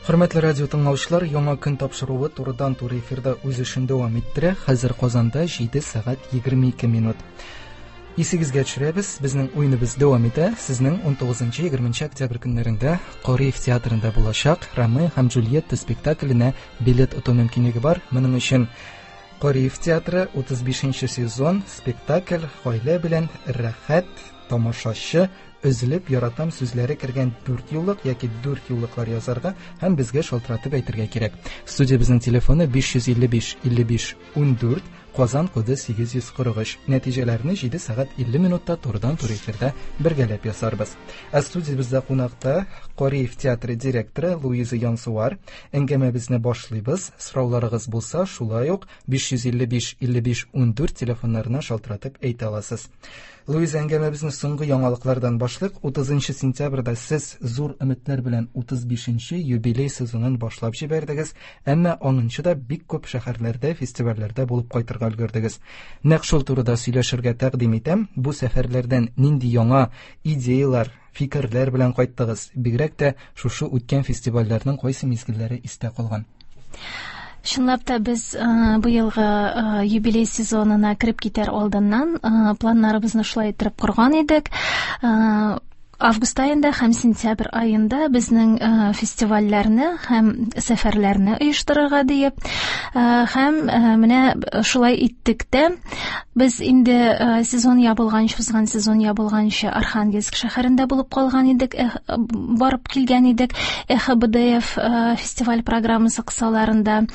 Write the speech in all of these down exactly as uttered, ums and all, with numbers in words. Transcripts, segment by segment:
Хөрмәтле радио тыңлаучылар, Яңа көн тапшыруы турыдан туры эфирда үз эшен дәвам иттерә. Хәзер Казанда җиде сәгать егерме ике минут. Исегезгә төшерәбез, безнең уеныбыз дәвам итә. Сезнең ун тугызынчы, егерменче октябрь көннәрендә Кариев театрында булачак Ромео һәм Джульетта спектакленә билет оту мөмкинлеге бар. Моның өчен Кариев театры утыз бишенче сезон спектакль гаилә белән рәхәт тамашачы өзелеп яратам сүзләре кергән дүрт юллык яки дүрт юллыклар язарга һәм безгә шалтыратып әйтергә кирәк. Студиябезнең телефоны биш йөз илле биш, илле биш, ундүрт, Казан коды сигез йөз кырык өч. Нәтиҗәләрне җиде сәгать илле минутта турыдан-туры эфирда бергәләп ясарбыз. Ә студиябездә кунакта Кариев театры директоры Луиза Янсуар. Әңгәмәбезне башлыйбыз. Сорауларыгыз булса, шулай ук биш йөз илле биш, илле биш, ундүрт телефоннарына шалтыратып әйтә аласыз. Луиза, әңгәмәбезне соңгы яңалыклардан башлыйк. Утызынчы сентябрьдә сез зур өметләр белән утыз бишенче юбилей сезонын башлап җибәрдегез, әмма аңынчы да бик күп шәһәрләрдә, фестивальләрдә булып кайтырга өлгердегез. Нәкъ шул турыда сөйләшергә тәкъдим итәм. Бу сәфәрләрдән нинди яңа идеялар, фикерләр белән кайттыгыз? Бигрәк тә шушы үткән фестивальләрнең кайсы мизгелләре истә калган? Чынлап та без, э, быелгы, э, юбилей сезонына кереп китәр алдыннан, э, планнарыбызны шулай иттереп корган идек. Э, август аенда һәм сентябрь аенда безнең, э, фестивальләрне һәм сәфәрләрне оештырырга диеп, э, һәм, э, менә шулай иттек тә. Без инде, э, сезон ябылганчы, узган сезон ябылганчы Архангельск шәһәрендә булып калган идек, э, барып килгән идек Эхо Б Д Ф, э, фестиваль программасы кысаларында.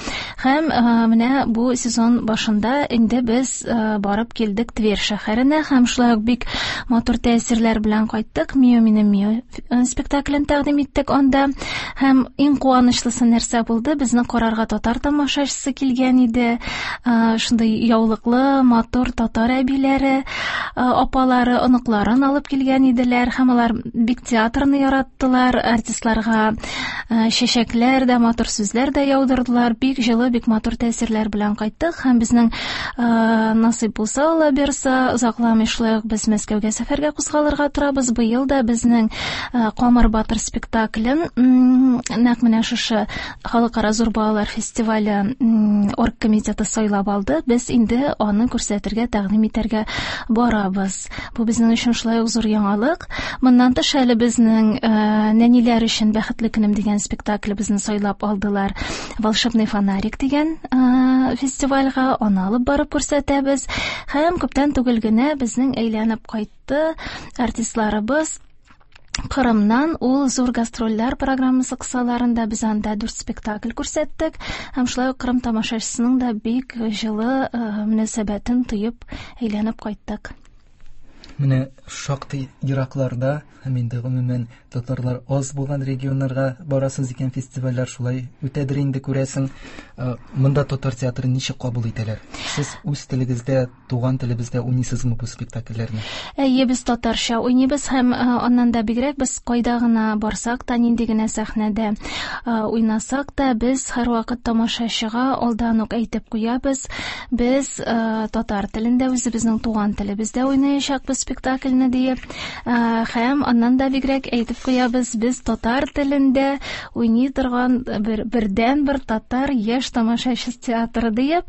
Һәм, э, менә бу сезон башында инде без, э, барып килдек Тверь шәһәренә һәм шулай ук бик матур тәэсирләр белән кайттык. Мио минем Мио, э, спектаклен тәкъдим иттек анда. Һәм иң куанычлысы нәрсә булды? Безне карарга татар тамашачысы килгән иде. Э, шундый яулыклы, матур татар әбиләре, э, апалары, оныкларын алып килгән иделәр һәм алар бик театрны яраттылар, артистларга, э, чәчәкләр дә, матур сүзләр дә яудырдылар. Бик җылы, бик матур тәэсирләр белән кайттык һәм безнең, э, насыйп булса, Алла бирса, озакламый шулай ук без Мәскәүгә сәфәргә кузгалырга торабыз. Быел да безнең, э, Камыр батыр спектаклен, м, нәкъ менә шушы халыкара зур балалар фестивале, м, оргкомитеты сайлап алды. Без инде аны күрсәтергә, тәкъдим итәргә барабыз. Бу безнең өчен шулай ук зур яңалык. Моннан тыш әле безнең, э, нәниләр өчен Бәхетле көнем дигән спектаклебезне сайлап алдылар. Волшебный фонарик дигән, э, фестивальгә аны алып барып күрсәтәбез. Һәм күптән түгел генә безнең әйләнеп кайтты артистларыбыз Кырымнан. Ул зур гастрольләр программасы кысаларында без анда дүрт спектакль күрсәттек һәм шулай ук Кырым тамашачысының да бик җылы, э, мөнәсәбәтен тоеп әйләнеп кайттык. Менә шактый еракларда һәм инде гомумән татарлар аз булган регионнарга барасыз икән, фестивальләр шулай үтәдер инде, күрәсең. Э, монда татар театрын ничек кабул итәләр? Сез үз телегездә, туган телебездә уйныйсызмы бу спектакльләрне? Әйе, без татарча уйныйбыз һәм, э, аннан да бигрәк без кайда гына барсак та, нинди генә сәхнәдә, э, уйнасак та, без һәрвакыт тамашачыга алдан ук әйтеп куябыз. Без, э, татар телендә, үзебезнең туган телебездә уйнаячакбыз спектакльне диеп. Э, һәм аннан да бигрәк әйтеп куябыз, без татар телендә уйный торган бер, бердән-бер татар яшь тамашачы театры диеп.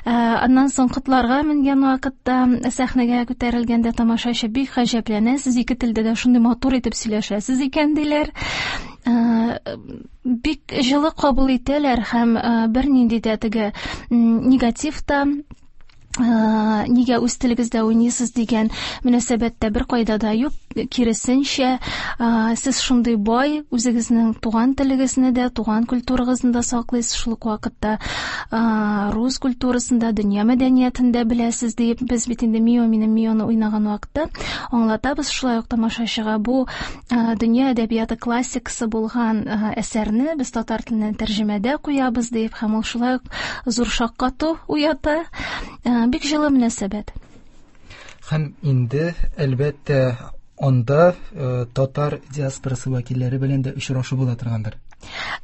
Э, аннан соң котларга менгән вакытта, сәхнәгә күтәрелгәндә тамашачы бик гаҗәпләнә, сез ике телдә дә шундый матур итеп сөйләшәсез икән диләр. Э, бик җылы кабул итәләр һәм, э, бернинди дә теге, м, негатив та, э, нигә үз телегездә уйныйсыз дигән мөнәсәбәттә бер кайда да юк. Киресенчә, э, сез шундый бай, үзегезнең туган телегезне дә, туган культурагызны да саклыйсыз, шул ук вакытта, э, рус культурасын да, дөнья мәдәниятен дә беләсез дип, без бит инде Мио минем Мионы уйнаган вакытта аңлатабыз шулай ук тамашачыга, бу, э, дөнья әдәбияты классикасы булган, э, әсәрне без татар теленнән тәрҗемәдә куябыз дип, һәм ул шулай ук зур шаккату уята. Э, бик җылы мөнәсәбәт. Һәм инде, әлбәттә, анда, э, татар диаспорасы вәкилләре белән дә очрашу була торгандыр.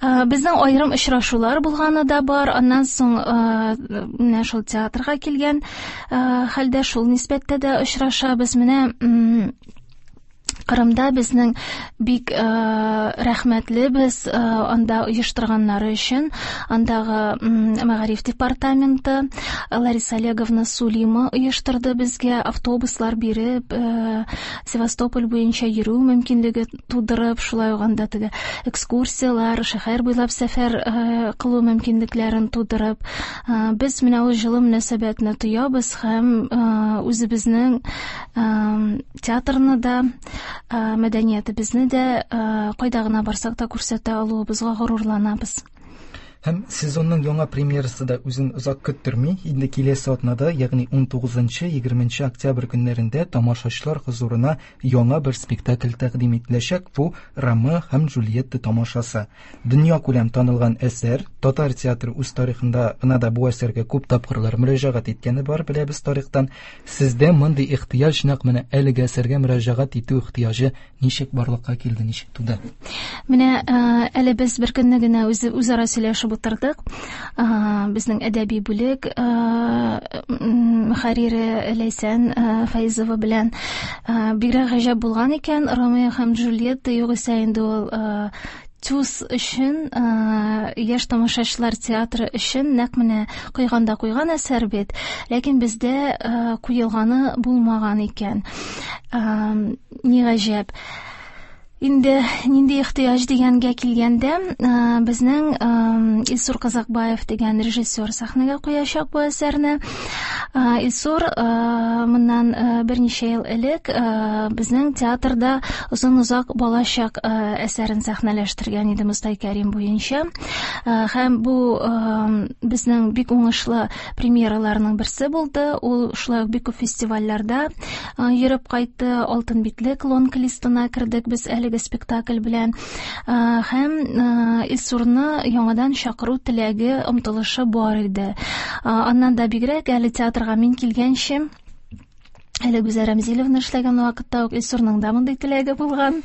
Э, безнең аерым очрашулар булганы да бар. Аннан соң, э, менә шул театрга килгән, э, хәлдә шул нисбәттә дә очрашабыз. Менә, м, Кырымда безнең бик э, рәхмәтлебез э, анда оештырганнары өчен. Андагы мәгариф департаменты Лариса Олеговна Сулима оештырды безгә автобуслар биреп, э, Севастополь буенча йөрү мөмкинлеге тудырып, шулай ук анда теге экскурсияләр, шәһәр буйлап сәфәр э, кылу мөмкинлекләрен тудырып, э, без менә ул җылы мөнәсәбәтне тоябыз һәм э, үзебезнең э, театрны да, мәдәниятебезне дә кайда гына барсак та күрсәтә алуыбызга горурланабыз. Һәм сезонның яңа премьерасы да үзен озак көттерми. Инде киләсе атнада, ягъни ун тугызынчы, егерменче октябрь көннәрендә тамашачылар хозурына яңа бер спектакль тәкъдим ителәчәк. Бу Ромео һәм Джульетта тамашасы. Дөнья күләм танылган әсәр. Татар театры үз тарихында гына да бу әсәргә күп тапкырлар мөрәҗәгать иткәне бар, беләбез тарихтан. Сездә мондый ихтыяҗ, нәкъ менә әлеге әсәргә мөрәҗәгать итү ихтыяҗы ничек барлыкка килде, ничек туды? Менә әле без бер көнне генә үзе үзара сөйләшеп утырдык. Безнең әдәби бүлек мөхәррире Ләйсән Фәйзова белән бигрәк гаҗәп булган икән Ромео һәм Джульетта, югыйсә инде ул ТЮЗ өчен, яшь тамашачылар театры өчен нәкъ менә куйганда куйган әсәр бит, ләкин бездә куелганы булмаган икән. Ни гаҗәп. Инде нинди ихтыяҗ дигәнгә килгәндә, безнең Илсур Казакбаев дигән режиссер сәхнәгә куячак бу әсәрне. Илсур моннан берничә ел элек безнең театрда озын-озак балачак әсәрен сәхнәләштергән иде Мостай Кәрим буенча. Һәм бу безнең бик уңышлы премьераларның берсе булды. Ул шулай ук бик күп фестивальләрдә йөреп кайтты. Алтын битлек лонг-листына кердек без әле спектакль белән. Һәм Илсурны яңадан чакыру теләге, омтылышы бар иде. Аннан да бигрәк, әле театрга мин килгәнче, әле Гүзәл Рәмзиловна эшләгән вакытта ук Илсурның да мондый теләге булган.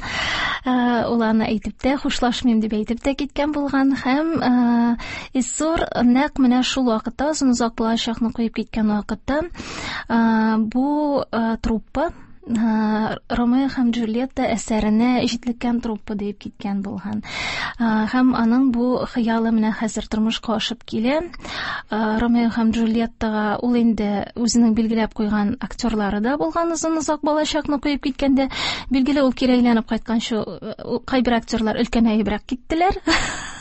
Ул аны әйтеп тә, хушлашмыйм дип әйтеп тә киткән булган. Һәм Илсур нәкъ менә шул вакытта, озын-озак балачакны куеп киткән вакытта, бу труппа Ромео һәм Джульетта әсәренә җитлеккән труппа дип киткән булган. Һәм аның бу хыялы менә хәзер тормышка ашып килә. Ромео һәм Джульеттага ул инде үзенең билгеләп куйган актерлары да булган озын-озак балачакны куеп киткәндә. Билгеле, ул кире әйләнеп кайтканчы кайбер актерлар өлкәнәебрәк киттеләр.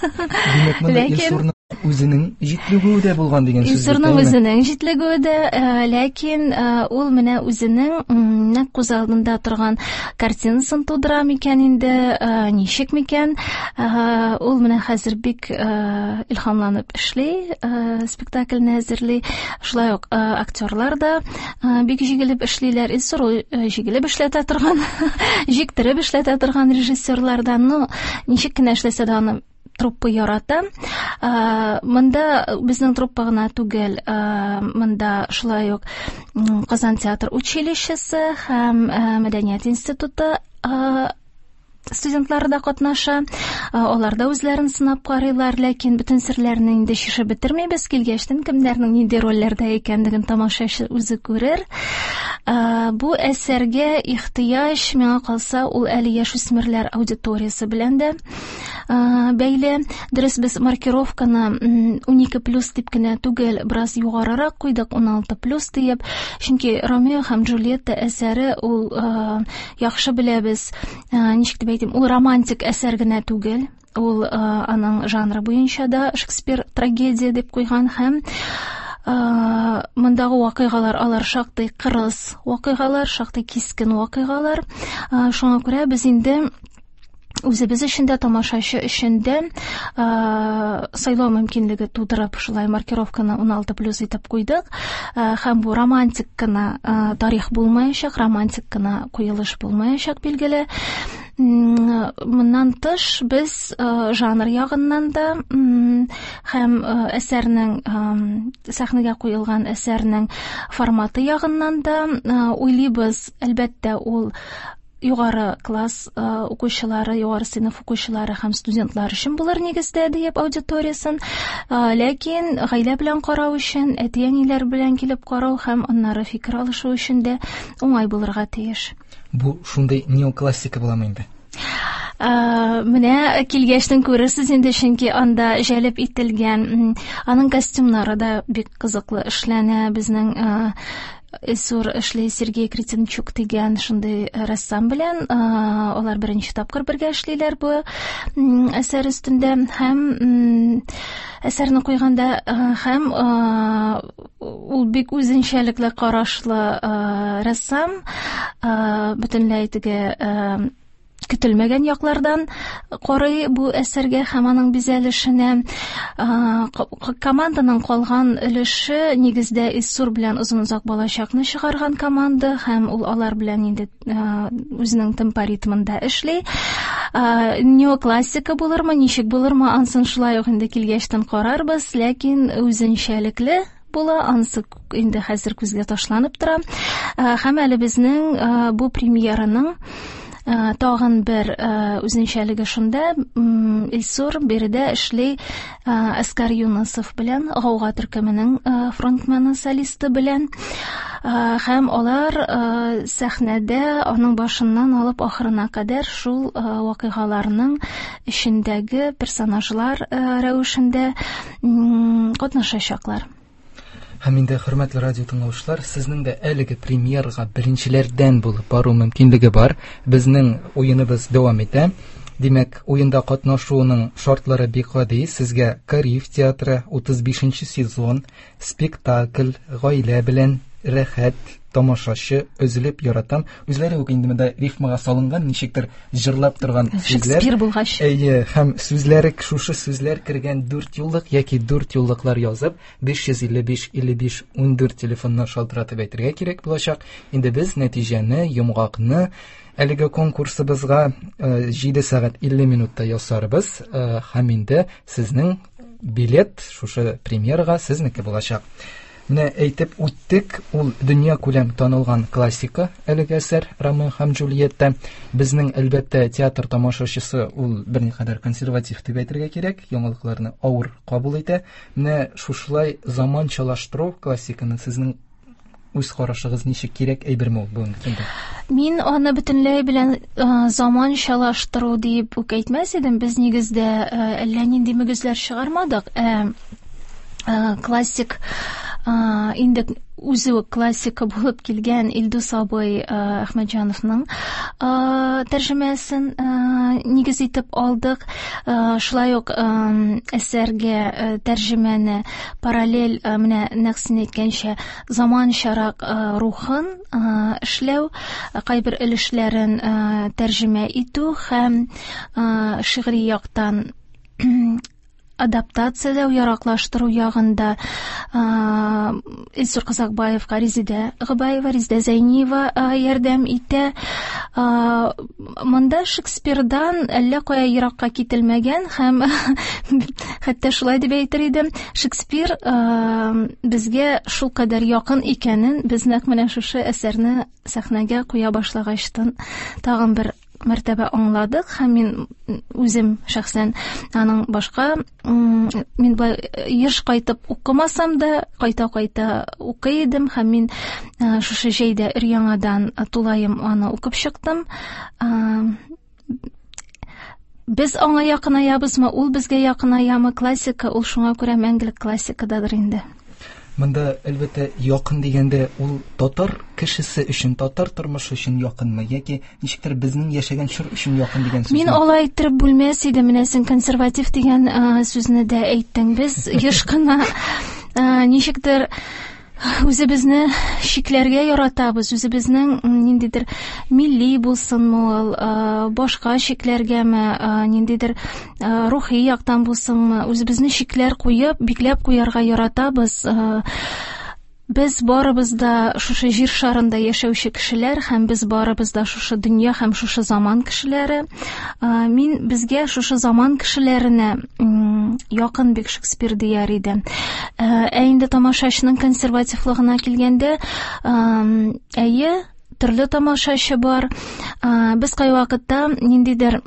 Димәк, монда Илсурның үзенең җитлегүе дә булган дигән сүз. Илсурның үзенең җитлегүе дә, ләкин ул менә үзенең нәкъ күз алдында торган картинасын тудыра микән инде, ничек микән? Ул менә хәзер бик илһамланып эшли, спектакльне әзерли. Шулай ук актерлар да бик җигелеп эшлиләр. Илсур ул җигелеп эшләтә торган, җиктереп эшләтә торган режиссерлардан. Ну, ничек кенә эшләсә дә аны труппа ярата. Монда безнең труппа гына түгел, монда шулай ук Казан театр училищесы һәм Мәдәният институты студентлары да катнаша. Алар да үзләрен сынап карыйлар, ләкин бөтен серләрне инде чишеп бетермибез. Килгәчтен кемнәрнең нинди рольләрдә икәнлеген тамашачы үзе күрер. Бу әсәргә ихтыяҗ, миңа калса, ул әле яшүсмерләр аудиториясе белән дә бәйле. Дөрес, без маркировканы унике плюс дип кенә түгел, бераз югарырак куйдык, уналты плюс диеп. Чөнки Ромео һәм Джульетта әсәре ул яхшы беләбез, ничек дип әйтим, ул романтик әсәр генә түгел. Ул аның жанры буенча да Шекспир трагедия дип куйган һәм мондагы вакыйгалар алар шактый кырыс вакыйгалар, шактый кискен вакыйгалар. Шуңа күрә без инде үзебез өчен дә, тамашачы өчен дә сайлау мөмкинлеге тудырып, шулай маркировканы уналты плюс итеп куйдык. Һәм бу романтик кына тарих булмаячак, романтик кына куелыш булмаячак, билгеле. Моннан тыш без жанр ягыннан да һәм әсәрнең, сәхнәгә куелган әсәрнең форматы ягыннан да уйлыйбыз, әлбәттә, ул югары класс укучылары, югары сыйныф укучылары һәм студентлар өчен булыр нигездә диеп аудиториясын. Ләкин гаилә белән карау өчен, әти-әниләр белән килеп карау һәм аннары фикер алышу өчен дә уңай булырга тиеш. Бу шундый неоклассика буламы инде? Менә килгәчтен күрерсез инде, чөнки анда җәлеп ителгән, аның костюмнары да бик кызыклы эшләнә. Безнең Илсур эшли Сергей Кретенчук дигән шундый рәссам белән, алар беренче тапкыр бергә эшлиләр бу әсәр өстендә һәм әсәрне куйганда һәм ул бик үзенчәлекле карашлы рәссам, бөтенләй теге көтелмәгән яклардан карый бу әсәргә һәм аның бизәлешенә. Команданың калган өлеше нигездә Илсур белән озын-озак балачакны чыгарган команда һәм ул алар белән инде үзенең темпо ритмында эшли. Неоклассика булырмы, ничек булырмы, ансын шулай ук инде килгәчтен карарбыз, ләкин үзенчәлекле була, ансы инде хәзер күзгә ташланып тора. Һәм әле безнең бу премьераның тагын бер үзенчәлеге шунда, Илсур биредә эшли Әскар Юнысов белән, Гауга төркеменең фронтмены, солисты белән, һәм алар сәхнәдә аның башыннан алып ахырына кадәр шул вакыйгаларның эчендәге персонажлар рәвешендә катнашачаклар. Һәм инде, хөрмәтле радио тыңлаучылар, сезнең дә әлеге премьерага беренчеләрдән булып бару мөмкинлеге бар. Безнең уеныбыз дәвам итә. Димәк, уенда катнашуның шартлары бик гади. Сезгә Кариев театры утыз бишенче сезон, спектакль, гаилә белән рәхәт, тамашачы, өзелеп яратам. Үзләре үк инде монда рифмага салынган, ничектер җырлап торган сүзләр. Шекспир булгач. Әйе, һәм сүзләре, шушы сүзләр кергән дүрт юллык яки дүрт юллыклар язып, биш йөз илле биш илле биш ундүрт телефонына шалтыратып әйтергә кирәк булачак. Инде без нәтиҗәне, йомгакны әлеге конкурсыбызга җиде сәгать илле минутта ясарбыз. Һәм инде сезнең билет шушы премьерага сезнеке булачак. Менә әйтеп үттек, ул дөнья күләм танылган классика әлеге әсәр Ромео һәм Джульетта. Безнең әлбәттә театр тамашачысы ул берникадәр консерватив дип әйтергә кирәк, яңалыкларны авыр кабул итә. Менә шушылай заманчалаштыру классиканы сезнең үз карашыгыз ничек, кирәк әйберме ул бүгенге көндә? Мин аны бөтенләй белән заманчалаштыру дип үк әйтмәс идем. Без нигездә әллә нинди мөгезләр чыгармадык. Ә классик инде үзе үк классика булып килгән Илдус абый Әхмәтҗановның тәрҗемәсен нигез итеп алдык. Шулай ук әсәргә тәрҗемәне параллель, менә нәкъ син әйткәнчә, заманчарак рухын эшләү, кайбер өлешләрен тәрҗемә итү һәм шигъри яктан адаптацияләү, яраклаштыру ягында Илсур Казакбаевка Резидә Габаева, Резидә Зәйниева ярдәм итә. Монда Шекспирдан әллә кая еракка кителмәгән һәм хәтта шулай дип әйтер идем, Шекспир безгә шулкадәр якын икәнен без нәкъ менә шушы әсәрне сәхнәгә куя башлагачтан тагын бер мәртәбә аңладык. Һәм мин үзем шәхсән аның башка, мин былай еш кайтып укымасам да, кайта-кайта укый идем, һәм мин шушы җәйдә өр-яңадан тулаем аны укып чыктым. Без аңа якынаябызмы, ул безгә якынаямы, классика ул шуңа күрә мәңгелек классикададыр инде. Монда әлбәттә якын дигәндә ул татар кешесе өчен, татар тормышы өчен якынмы яки ничектер безнең яшәгән чор өчен якын дигән сүз? Мин алай иттереп бүлмәс идем. Менә син консерватив дигән сүзне дә әйттең. Без еш кына ничектер үзебезне чикләргә яратабыз, үзебезнең ниндидер милли булсынмы ул, башка чикләргәме, ниндидер рухи яктан булсынмы, үзебезне чикләр куеп, бикләп куярга яратабыз. Без барыбыз да шушы җир шарында яшәүче кешеләр һәм без барыбыз да шушы дөнья һәм шушы заман кешеләре. Мин безгә шушы заман кешеләренә якын бик Шекспир дияр идем. Ә инде тамашачының консервативлыгына килгәндә, әйе, төрле тамашачы бар. Без кайвакытта ниндидер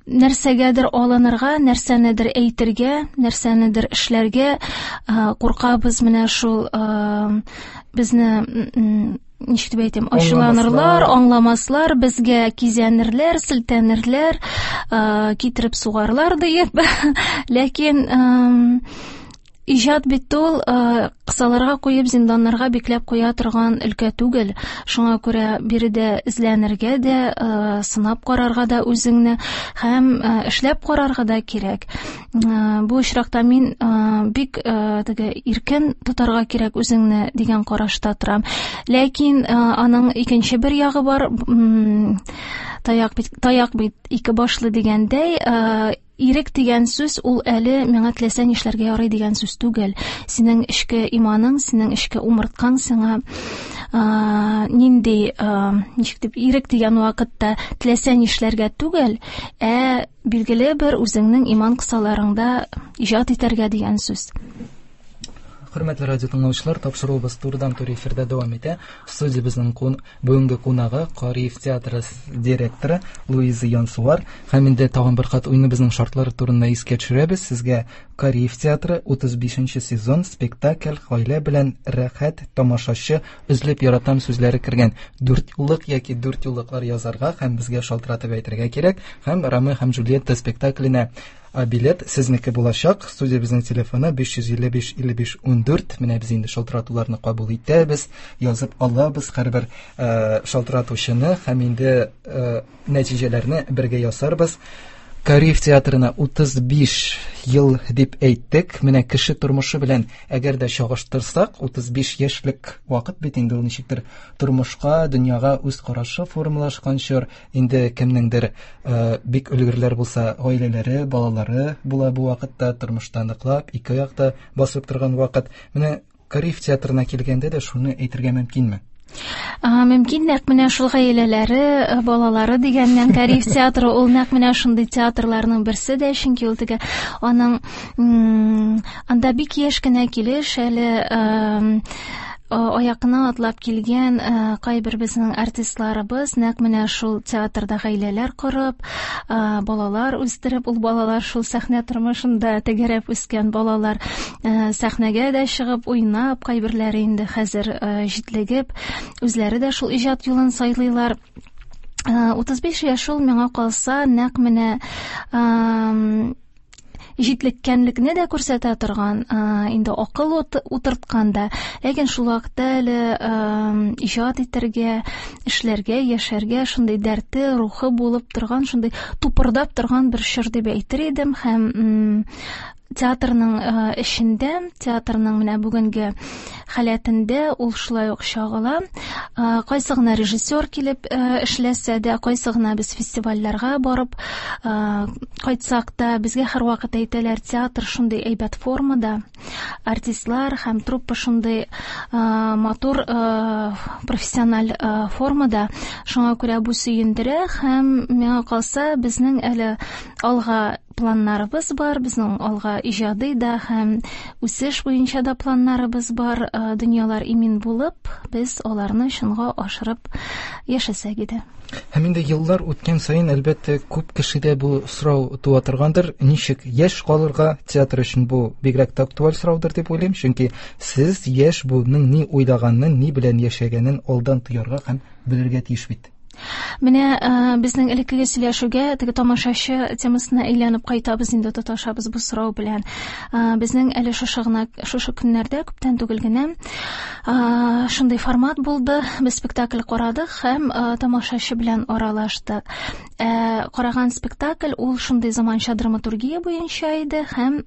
нәрсәгәдер алынырга, нәрсәнедер әйтергә, нәрсәнедер эшләргә куркабыз. Менә шул безне ничек дип әйтим, ачуланырлар, аңламаслар, безгә кизәнерләр, селтәнерләр, китереп сугарлар диеп. Ләкин иҗат бит ул кысаларга куеп, зинданнарга бикләп куя торган өлкә түгел. Шуңа күрә биредә эзләнергә дә, сынап карарга да үзеңне һәм эшләп карарга да кирәк. Бу очракта мин бик теге иркен тотарга кирәк үзеңне дигән карашта торам. Ләкин аның икенче бер ягы бар. Таяк бит, таяк бит ике башлы дигәндәй, ирек дигән сүз ул әле миңа теләсә нишләргә ярый дигән сүз түгел. Синең эчке иманың, синең эчке умырткаң сиңа нинди, ничек дип, ирек дигән вакытта теләсә нишләргә түгел, ә билгеле бер үзеңнең иман кысаларыңда иҗат итәргә дигән сүз. Хөрмәтле радио тыңлаучылар, тапшыруыбыз турыдан-туры эфирда дәвам итә. Студиябезнең бүгенге кунагы Кариев театры директоры Луиза Янсуар. Һәм инде тагын бер кат уеныбызның шартлары турында искә төшерәбез. Сезгә Кариев театры утыз бишенче сезон спектакль гаилә белән рәхәт тамашачы өзлеп яратам сүзләре кергән дүрт юллык яки дүрт юллыклар язарга һәм безгә шалтыратып әйтергә кирәк. Һәм Ромео һәм Джульетта спектакленә билет сезнеке булачак. Студиябезнең телефоны биш йөз илле биш илле биш ундүрт. Менә без инде шалтыратуларны кабул итәбез, язып алабыз һәрбер шалтыратучыны һәм инде нәтиҗәләрне бергә ясарбыз. Кариев театрына утыз биш ел дип әйттек. Менә кеше тормышы белән әгәр дә чагыштырсак, утыз биш яшьлек вакыт бит инде ул ничектер тормышка, дөньяга үз карашы формалашкан чор. Инде кемнеңдер бик өлгерләр булса, гаиләләре, балалары була бу вакытта, тормышта ныклап, ике аякта басып торган вакыт. Менә Кариев театрына килгәндә дә шуны әйтергә мөмкинме? Мөмкин, нәкъ менә шул гаиләләре, балалары дигәннән Кариев театры ул нәкъ менә шундый театрларның берсе дә, чөнки ул теге аның анда бик яшь кенә килеш әле аякына атлап килгән кайбер безнең артистларыбыз нәкъ менә шул театрда гаиләләр корып, балалар үстереп, ул балалар шул сәхнә тормышында тәгәрәп үскән балалар сәхнәгә дә чыгып уйнап, кайберләре инде хәзер җитлегеп, үзләре дә шул иҗат юлын сайлыйлар. утыз биш яшь ул миңа калса нәкъ менә җитлеккәнлекне дә күрсәтә торган, инде акыл утырткан да, ләкин шул вакытта әле иҗат итәргә, эшләргә, яшәргә шундый дәрте, рухы булып торган, шундый тупырдап торган бер чор дип әйтер идем. Һәм театрның эшендә, театрның менә бүгенге халәтендә ул шулай ук чагыла. Кайсы гына режиссер килеп эшләсә дә, кайсы гына без фестивальләргә барып кайтсак та, безгә һәрвакыт әйтәләр, театр шундый әйбәт формада, артистлар һәм труппа шундый матур профессиональ формада. Шуңа күрә бу сөендерә һәм миңа калса, безнең әле алга планнарыбыз бар, безнең алга иҗади да һәм үсеш буенча да планнарыбыз бар. Дөньялар имин булып, без аларны чынга ашырып яшәсәк иде. Һәм инде еллар үткән саен, әлбәттә, күп кешедә бу сорау туа торгандыр. Ничек яшь калырга? Театр өчен бу бигрәк тә актуаль сораудыр дип уйлыйм, чөнки сез яшь буынның ни уйлаганын, ни белән яшәгәнен алдан тоярга һәм белергә тиеш бит. Менә безнең элеккеге сөйләшүгә, теге тамашачы темасына әйләнеп кайтабыз инде, тоташабыз бу сорау белән. Безнең әле шушы гына, шушы көннәрдә, күптән түгел генә, шундый формат булды. Без спектакль карадык һәм тамашачы белән аралаштык. Караган спектакль ул шундый заманча драматургия буенча иде һәм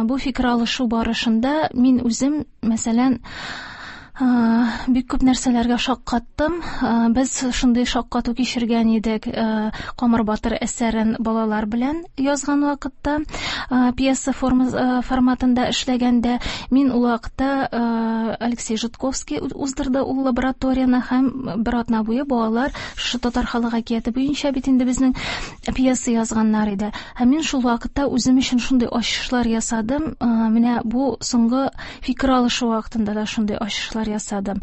бу фикер алышу барышында мин үзем, мәсәлән, бик күп нәрсәләргә шаккаттым. Без шундый шаккату кичергән идек Камыр батыр әсәрен балалар белән язган вакытта, пьеса форматында эшләгәндә. Мин ул вакытта Алексей Житковский уздырды ул лабораторияны, һәм бер атна буе балалар шушы татар халык әкияте буенча бит инде безнең пьеса язганнар иде. Һәм мин шул вакытта үзем өчен шундый ачышлар ясадым. Менә бу соңгы фикер алышу вакытында да шундый ачышлар ясадым.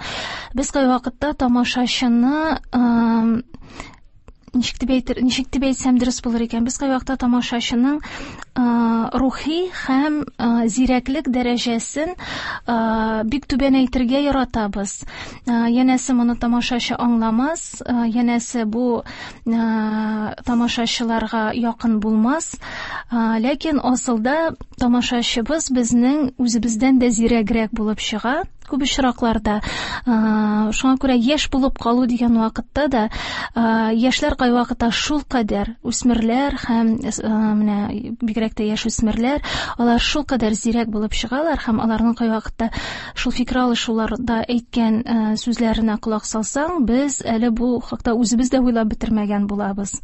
Без кайвакытта тамашачыны ничек дип әйтер, ничек дип әйтсәм дөрес булыр икән? Без кайвакытта тамашачының рухи һәм зирәклек дәрәҗәсен бик түбән әйтергә яратабыз. Янәсе моны тамашачы аңламас, янәсе бу тамашачыларга якын булмас. Ләкин асылда тамашачыбыз безнең үзебездән дә зирәгрәк булып чыга күп очракларда. Шуңа күрә яшь булып калу дигән вакытта да яшьләр кайвакытта шулкадәр үсмерләр һәм менә бигрәк тә яшь үсмерләр, алар шулкадәр зирәк булып чыгалар һәм аларның кайвакытта шул фикер алышуларда әйткән сүзләренә колак салсаң, без әле бу хакта үзебез дә уйлап бетермәгән булабыз.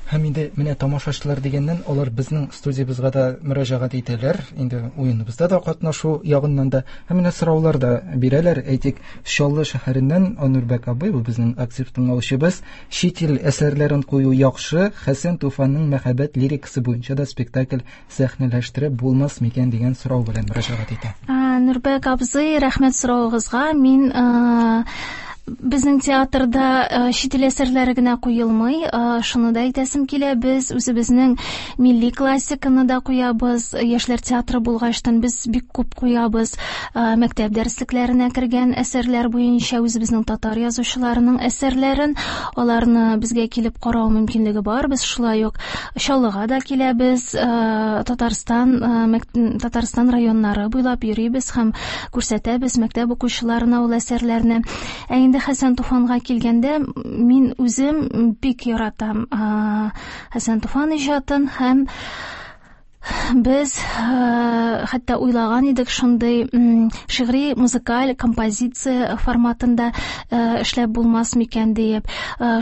Һәм инде менә тамашачылар дигәннән, алар безнең студиябезгә дә мөрәҗәгать итәләр, инде уеныбызда да катнашу ягыннан да, һәм менә сораулар да бирәләр. Әйтик, Чаллы шәһәреннән Анурбәк абый, бу безнең актив тыңлаучыбыз, чит ил әсәрләрен кую яхшы, Хәсән Туфанның мәхәббәт лирикасы буенча да спектакль сәхнәләштереп булмас микән дигән сорау белән мөрәҗәгать итә. Нурбәк абзый, рәхмәт соравыгызга. Мин безнең театрда чит ил әсәрләре генә куелмый, шуны да әйтәсем килә, без үзебезнең милли классиканы да куябыз, яшьләр театры булгачтан без бик күп куябыз, мәктәп дәреслекләренә кергән әсәрләр буенча үзебезнең татар язучыларының әсәрләрен, аларны безгә килеп карау мөмкинлеге бар. Без шулай ук Чаллыга да киләбез, Татарстан, Татарстан районнары буйлап йөрибез һәм күрсәтәбез мәктәп укучыларына ул әсәрләрне. Ә инде Хәсән Туфанга килгәндә, мин үзем бик яратам Хәсән Туфан иҗатын, һәм без хәтта уйлаган идек шундый шигъри музыкаль композиция форматында эшләп булмас микән диеп.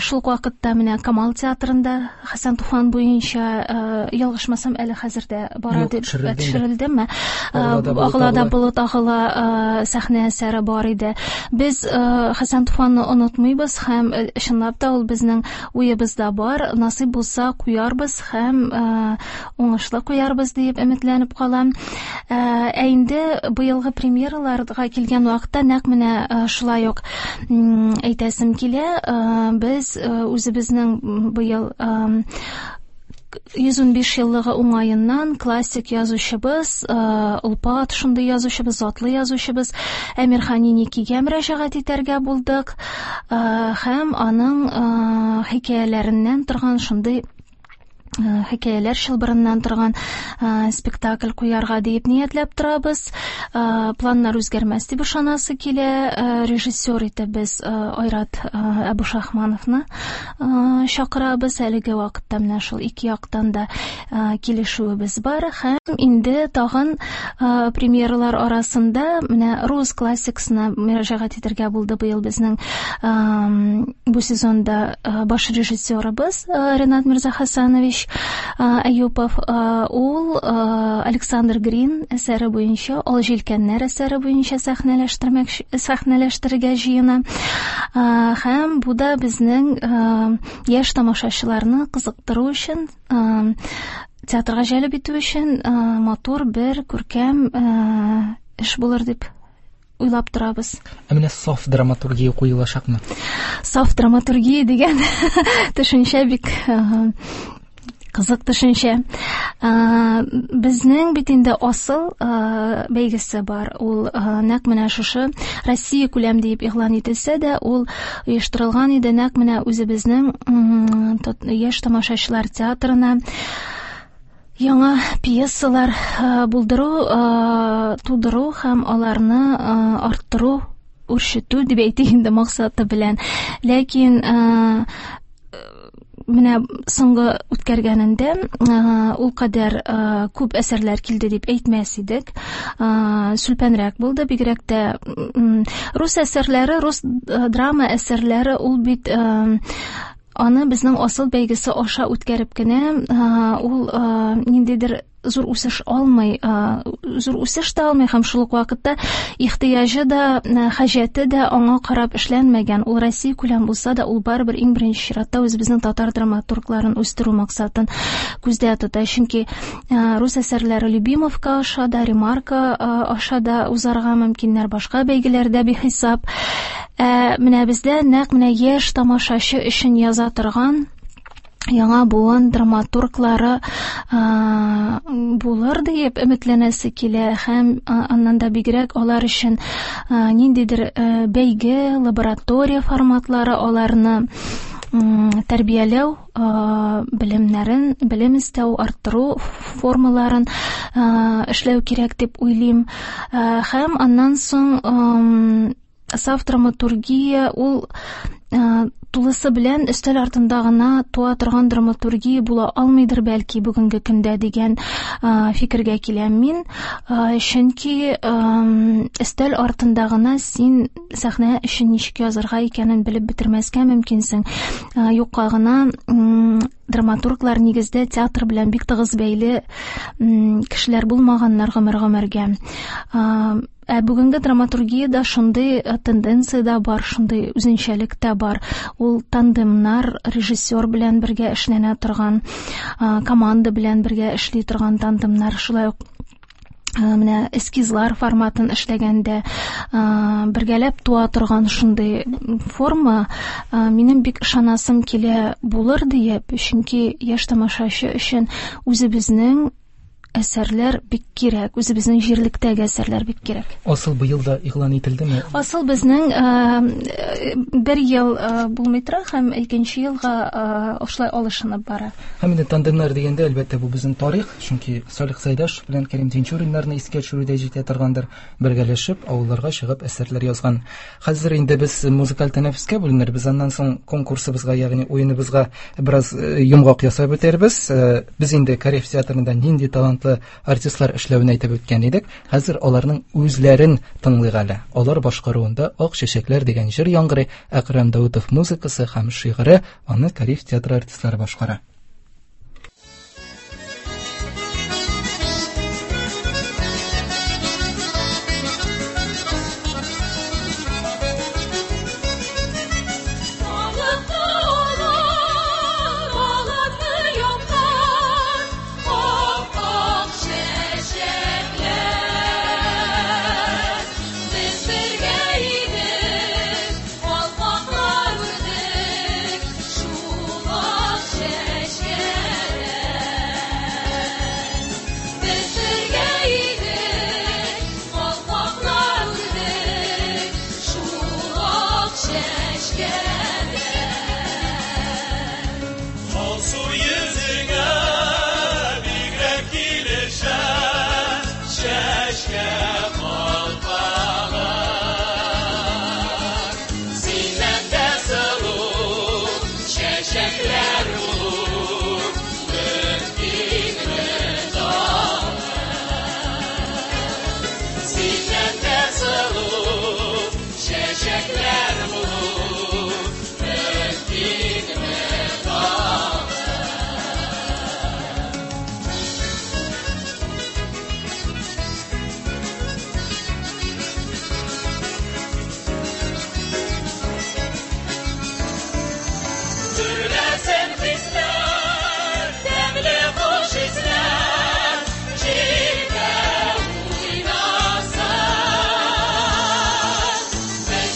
Шул ук вакытта менә Камал театрында Хәсән Туфан буенча, ялгышмасам, әле хәзер дә бара дип төшерелдеме? Агыла да болыт агыла сәхнә әсәре бар иде. Без Хәсән Туфанны онытмыйбыз һәм чынлап та ул безнең уебызда бар. Насыйп булса куярбыз һәм уңышлы куярбыз дип өметләнеп калам. Ә инде быелгы премьераларга килгән вакытта нәкъ менә шулай ук әйтәсем килә, без үзебезнең быел йөз унбиш еллыгы уңаеннан классик язучыбыз, олпат шундый язучыбыз, затлы язучыбыз Әмирхан Еникигә мөрәҗәгать итәргә булдык һәм аның хикәяләреннән торган шундый хикәяләр чылбырыннан торган спектакль куярга дип ниятләп торабыз. Планнар үзгәрмәс дип ышанасы килә. Режиссер итеп без Айрат Әбүшахмановны чакырабыз. Әлеге вакытта менә шул ике яктан да килешүебез бар. Һәм инде тагын премьералар арасында менә рус классикасына мөрәҗәгать итәргә булды быел безнең бу сезонда баш режиссерыбыз Ренат Мирзахасанович Аюпов. Ул Александр Грин әсәре буенча, Ал җилкәннәр әсәре буенча сәхнәләштерергә җыена. Һәм бу да безнең яшь тамашачыларны кызыктыру өчен, театрга җәлеп итү өчен матур бер күркәм эш булыр дип уйлап торабыз. Ә менә саф драматургия куелачакмы? Саф драматургия дигән төшенчә бик кызык төшенчә. Безнең бит инде асыл бәйгесе бар. Ул нәкъ менә шушы Россия күләм дип игълан ителсә дә, ул оештырылган иде нәкъ менә үзебезнең яшь тамашачылар театрына яңа пьесалар булдыру, тудыру һәм аларны арттыру, үрчетү дип әйтик инде максаты белән. Ләкин менә соңгы үткәргәнендә ул кадәр күп әсәрләр килде дип әйтмәс идек. Сүлпәнрәк булды, бигрәк тә рус әсәрләре, рус драма әсәрләре ул бит аны безнең асыл бәйгесе аша үткәреп кенә ул ниндидер зур үсеш алмый, зур үсеш тә алмый һәм шул ук вакытта ихтыяҗы да, хаҗәте дә аңа карап эшләнмәгән. Ул Россия күләм булса да, ул барыбер иң беренче чиратта үзебезнең татар драматургларын үстерү максатын күздә тота. Чөнки рус әсәрләре Любимовка аша да, Ремарка аша да узарга мөмкиннәр, башка бәйгеләрдә бихисап. Ә менә бездә нәкъ менә яшь тамашачы өчен яза торган яңа буын драматурглары булыр дип өметләнәсе килә һәм аннан да бигрәк алар өчен ниндидер бәйге, лаборатория форматлары аларны тәрбияләү, белемнәрен, белем эстәү, арттыру формаларын эшләү кирәк дип уйлыйм. Һәм аннан соң саф драматургия ул тулысы белән өстәл артында гына туа торган драматургия була алмыйдыр бәлки бүгенге көндә дигән фикергә киләм мин. Чөнки өстәл артында гына син сәхнә өчен ничек язарга икәнен белеп бетермәскә мөмкинсең. Юкка гына драматурглар нигездә театр белән бик тыгыз бәйле кешеләр булмаганнар гомер-гомергә. Ә бүгенге драматургиядә шундый тенденция дә бар, шундый үзенчәлек тә бар. Ул тандемнар, режиссер белән бергә эшләнә торган, команда белән бергә эшли торган тандемнар, шулай ук менә эскизлар форматын эшләгәндә бергәләп туа торган шундый форма минем бик ышанасым килә булыр диеп, чөнки яшь тамашачы өчен үзебезнең әсәрләр бик кирәк, үзебезнең җирлектәге әсәрләр бик кирәк. Асыл быел да игълан ителдеме? Асыл безнең бер ел булмый тора һәм икенче елга ошулай алышынып бара. Һәм инде тандемнар дигәндә, әлбәттә, бу безнең тарих, чөнки Салих Сәйдәшев белән Кәрим Тинчуриннарны искә төшерү дә җитә торгандыр, бергәләшеп авылларга чыгып әсәрләр язган. Хәзер инде без музыкаль тәнәфескә бүленербез, аннан соң конкурсыбызга, ягъни уеныбызга бераз йомгак ясап үтәрбез. Без инде Кариев театрында нинди талант артистлар эшләвен әйтеп үткән идек. Хәзер аларның үзләрен тыңлыйк әле. Алар башкаруында Ак чәчәкләр дигән җыр яңгырый. Әкрәм Даутов музыкасы һәм шигыре, аны Кариев театры артистлары башкара.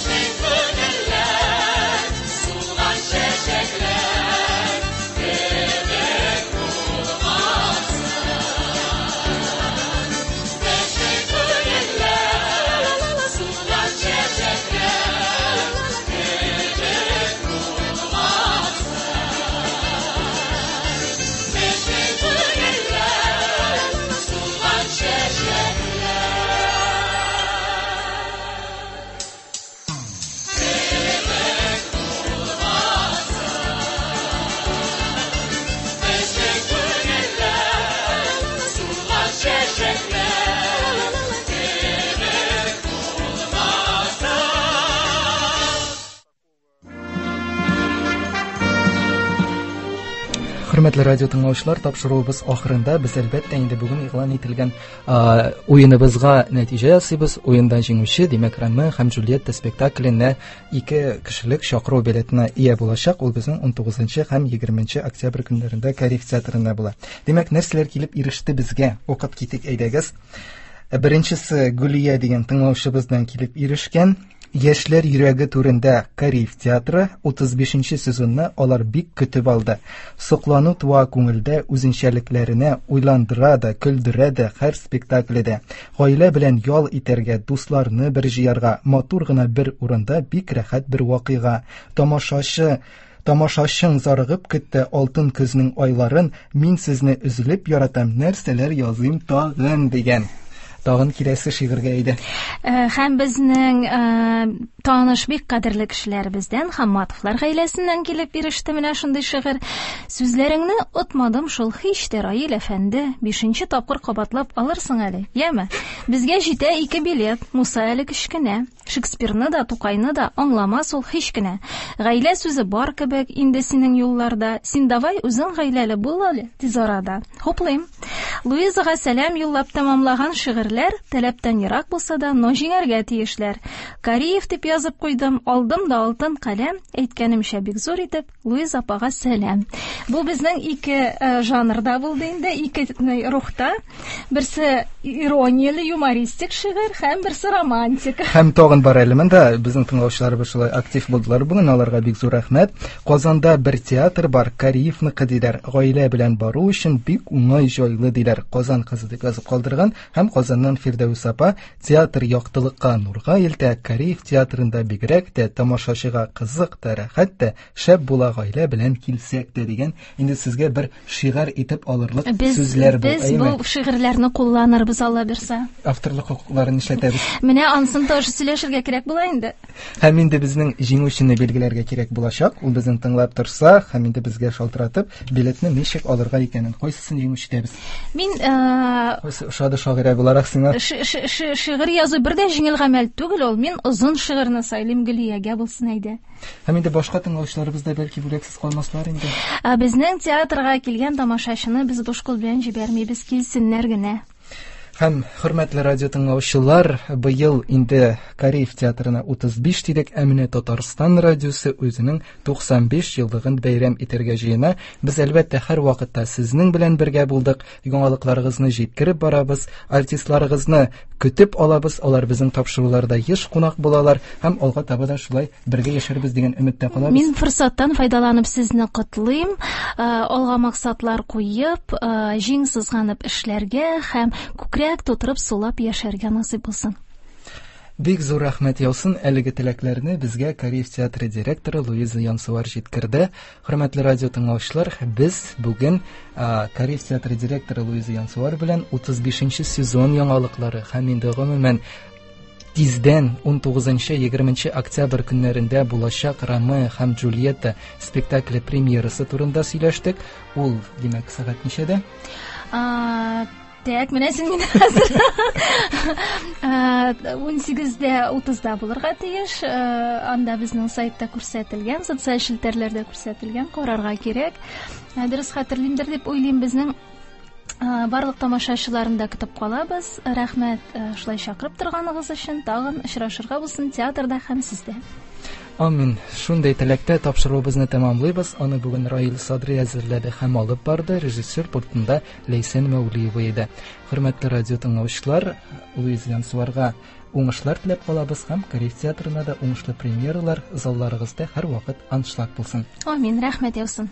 We're Хөрмәтле радио тыңлаучылар, тапшыруыбыз ахырында без әлбәттә инде бүген игълан ителгән уеныбызга нәтиҗә ясыйбыз. Уенда җиңүче, димәк, Ромео һәм Джульетта спектакленә ике кешелек чакыру билетына ия булачак. Ул безнең ун тугызынчы һәм егерменче октябрь көннәрендә Кариев театрында була. Димәк, нәрсәләр килеп иреште безгә? Укып китик, әйдәгез. Беренчесе Гөлия дигән тыңлаучыбыздан килеп ирешкән. Яшьләр йөрәге түрендә Кариев театры утыз бишенче сезонны алар бик көтеп алды. Соклану туа күңелдә үзенчәлекләренә уйландыра да, көлдерә дә һәр спектакльдә. Гаилә белән ял итәргә, дусларны бер җыярга, матур гына бер урында бик рәхәт бер вакыйга. Тамашачы Тамашачың зарыгып көтте алтын көзнең айларын, мин сезне өзелеп яратам, нәрсәләр языйм тагын дигән. Тагын киләсе шигырьгә әйдә. Һәм безнең таныш бик кадерле кешеләребездән Хамматовлар гаиләсеннән килеп иреште менә шундый шигырь. Сүзләреңне отмадым шул һич тә, Раил әфәнде, бишенче тапкыр кабатлап алырсың әле, яме? Безгә җитә ике билет, Муса әле кечкенә. Шекспирны да, Тукайны да аңламас ул һич кенә. Гаилә сүзе бар кебек инде синең юлларда. Син давай үзең гаиләле бул әле тиз арада. Хуплыйм. Луизага сәлам юллап тәмамлаган шигырьләр таләптән ерак булса да, но җиңәргә тиешләр. Кариев дип язып куйдым, алдым да алтын каләм, әйткәнемчә бик зур итеп, Луиза апага сәлам. Бу безнең ике жанрда булды инде, ике рухта. Берсе иронияле, юмористик шигырь һәм берсе романтик. Һәм тагын бар әле монда, безнең тыңлаучыларыбыз шулай актив булдылар бүген, аларга бик зур рәхмәт. Казанда бер театр бар, Кариевныкы диләр. Гаилә белән бару өчен бик уңай җайлы диләр. Казан кызы дип язып калдырган һәм Казаннан Фирдәүс апа театр яктылыкка, нурга илтә, Кариев театрында бигрәк тә тамашачыга кызык та, рәхәт тә, шәп була гаилә белән килсәк тә дигән. Инде сезгә бер шигырь итеп алырлык сүзләр бу. Без бу шигырьләрне кулланырбыз, Алла бирсә. Авторлык хокукларын нишләтәбез? Менә ансын тоже сөйләшергә кирәк була инде. Һәм инде безнең җиңүчене билгеләргә кирәк булачак. Ул безне тыңлап торса, һәм инде безгә шалтыратып, билетны ничек алырга икәнен, кайсысын җиңүче итәбез? Мин кайсы ошады шагыйрә буларак сиңа? Шигырь язу бер дә җиңел гамәл түгел ул. Мин озын шигырьне сайлыйм, Гөлиягә булсын әйдә. Һәм инде башка тыңлаучыларыбыз да бәлки бүләксез калмаслар инде. Ә безнең театрга килгән тамашачыны без буш кул белән җибәрмибез, килсеннәр генә. Һәм хөрмәтле радио тыңлаучылар, быел инде Кариев театрына утыз биш дидек, ә менә Татарстан радиосы үзенең туксан биш еллыгын бәйрәм итәргә җыена. Без әлбәттә һәр вакытта сезнең белән бергә булдык, яңалыкларыгызны җиткереп барабыз, артистларыгызны көтеп алабыз, алар безнең тапшыруларда еш кунак булалар һәм алга таба да шулай бергә яшәрбез дигән өметтә калабыз. Мин форсаттан файдаланып сезне котлыйм, алга максатлар куеп, җиң сызганып эшләргә һәм күкрәк тутырып сулап яшәргә насыйп булсын. Бик зур рәхмәт яусын. Әлеге теләкләрне безгә Кариев театры директоры Луиза Янсуар җиткерде. Хөрмәтле радио тыңлаучылар, без бүген Кариев театры директоры Луиза Янсуар белән утыз бишенче сезон яңалыклары һәм инде гомумән тиздән ун тугызынчы егерменче октябрь көннәрендә булачак Ромео һәм Джульетта спектакле премьерасы турында сөйләштек. Ул, димәк, сәгать ничәдә? Так, менә син мине хәзер ун сигездә утызда булырга тиеш. Анда безнең сайтта күрсәтелгән, социаль челтәрләрдә күрсәтелгән, карарга кирәк. Дөрес хәтерлимдер дип уйлыйм, безнең барлык тамашачыларын да көтеп калабыз. Рәхмәт шулай чакырып торганыгыз өчен. Тагын очрашырга булсын театрда һәм сездә. Амин. Шундый теләктә тапшыруыбызны тәмамлыйбыз. Аны бүген Раил Садри әзерләде һәм алып барды. Режиссер пультында Ләйсән Мәүлиева иде. Хөрмәтле радио тыңлаучылар, Луиза Янсуарга уңышлар теләп калабыз һәм Кариев театрына да уңышлы премьералар, залларыгызда һәрвакыт аншлаг булсын. Амин. Рәхмәт яусын.